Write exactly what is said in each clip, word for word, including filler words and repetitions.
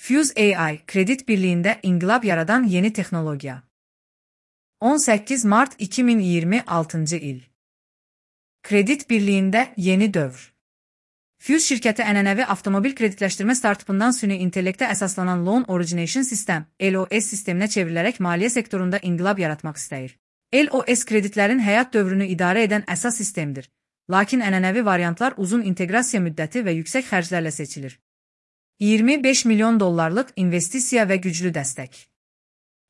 Fuse A I, kredit birliğinde inqilab yaradan yeni texnologiya. on səkkiz mart iki min iyirmi altıncı il. Kredit birliğinde yeni dövr. Fuse şirkəti ənənəvi avtomobil kreditləşdirmə startupından süni intellektə əsaslanan Loan Origination System, L O S sisteminə çevrilərək maliyyə sektorunda inqilab yaratmaq istəyir. L O S kreditlərin həyat dövrünü idarə edən əsas sistemdir, lakin ənənəvi variantlar uzun inteqrasiya müddəti və yüksək xərclərlə seçilir. iyirmi beş milyon dollarlıq investisiya və güclü dəstək.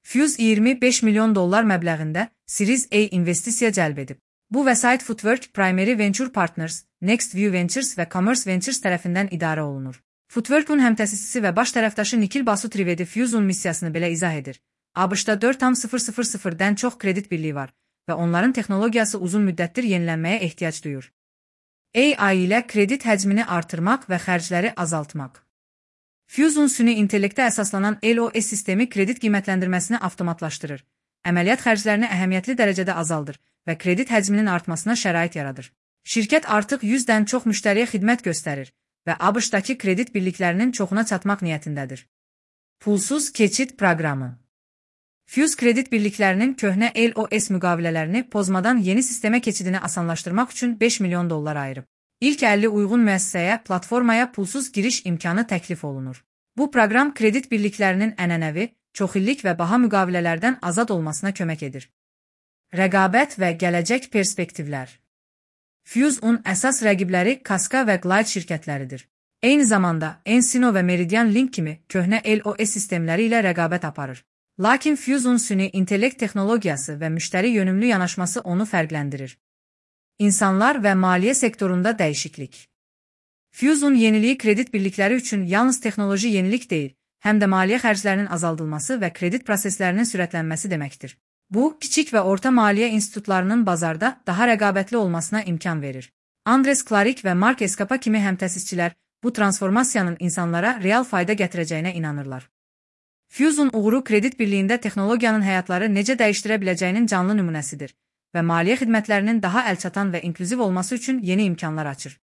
Fuse iyirmi beş milyon dollar məbləğində Series A investisiya cəlb edib. Bu vəsait Footwork, Primary Venture Partners, Nextview Ventures və Commerce Ventures tərəfindən idarə olunur. Footwork'un həmtəsisisi və baş tərəfdaşı Nikhil Basu Trivedi Fuse'un missiyasını belə izah edir. ABŞ-da dörd nöqtə dən çox kredit birliyi var və onların texnologiyası uzun müddətdir yenilənməyə ehtiyac duyur. A I ilə kredit həcmini artırmaq və xərcləri azaltmaq. Fuse'un süni intellektə əsaslanan L O S sistemi kredit qiymətləndirməsini avtomatlaşdırır, əməliyyat xərclərini əhəmiyyətli dərəcədə azaldır və kredit həcminin artmasına şərait yaradır. Şirkət artıq yüzdən çox müştəriyə xidmət göstərir və ABŞ-dakı kredit birliklərinin çoxuna çatmaq niyyətindədir. Pulsuz keçid proqramı. Fuse kredit birliklərinin köhnə L O S müqavilələrini pozmadan yeni sistemə keçidini asanlaşdırmaq üçün beş milyon dollar ayırıb. İlk əlli uyğun müəssisəyə, platformaya pulsuz giriş imkanı təklif olunur. Bu proqram kredit birliklərinin ənənəvi, çoxillik və baha müqavilələrdən azad olmasına kömək edir. Rəqabət və gələcək perspektivlər. Fuse-un əsas rəqibləri Kaska və Glide şirkətləridir. Eyni zamanda Encino və Meridian Link kimi köhnə L O S sistemləri ilə rəqabət aparır. Lakin Fuse-un süni intellekt texnologiyası və müştəri yönümlü yanaşması onu fərqləndirir. İnsanlar və maliyyə sektorunda dəyişiklik. Fuse-un yeniliyi kredit birlikləri üçün yalnız texnoloji yenilik deyil, həm də maliyyə xərclərinin azaldılması və kredit proseslərinin sürətlənməsi deməkdir. Bu, kiçik və orta maliyyə institutlarının bazarda daha rəqabətli olmasına imkan verir. Andres Klarik və Mark Eskapa kimi həmtəsisçilər bu transformasiyanın insanlara real fayda gətirəcəyinə inanırlar. Fuse-un uğuru kredit birliyində texnologiyanın həyatları necə dəyişdirə biləcəyinin canlı nümunəsidir və maliyyə xidmətlərinin daha əlçatan və inklüziv olması üçün yeni imkanlar açır.